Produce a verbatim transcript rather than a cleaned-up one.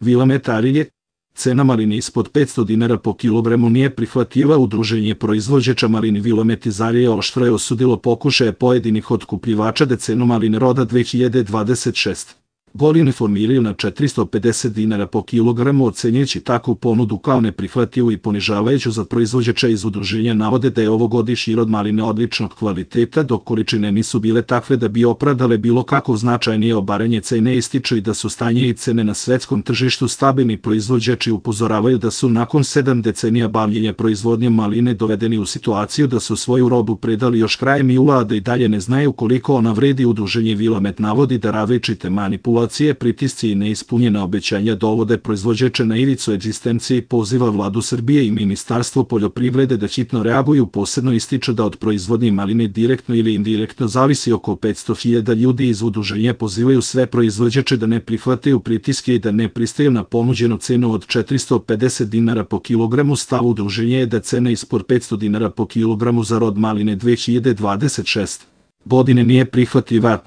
Vilamet Arilje. Cena maline ispod petsto dinara po kilogramu nije prihvatljiva. Udruženje proizvođača maline Vilamet iz Arilje oštro je osudilo pokušaje pojedinih otkupljivača da cenu maline roda dve hiljade dvadeset šeste godine formiraju na četiristo pedeset dinara po kilogramu, ocenjujući takvu ponudu kao neprihvatljivu i ponižavajuću za proizvođača. Iz udruženja navode da je ovogodišnji rod maline odličnog kvaliteta, dok količine nisu bile takve da bi opravdale bilo kako značajnije obaranje cene. Ističu i da su stanje i cene na svetskom tržištu stabilni. Proizvođači upozoravaju da su nakon sedam decenija bavljenja proizvodnjom maline dovedeni u situaciju da su svoju robu predali još krajem jula, a da i dalje ne znaju koliko ona vredi. Udruženje Vilamet navodi da različite manipulacije, pritisci i neispunjena obećanja dovode proizvođače na ivicu egzistencije i poziva Vladu Srbije i Ministarstvo poljoprivrede da hitno reaguju. Posebno ističe da od proizvodnje maline direktno ili indirektno zavisi oko petsto hiljada ljudi. Iz udruženja pozivaju sve proizvođače da ne prihvataju pritiske i da ne pristaju na ponuđenu cenu od četiristo pedeset dinara po kilogramu. Stav udruženja je da cena ispod petsto dinara po kilogramu za rod maline dve hiljade dvadeset šeste godine nije prihvatljiva.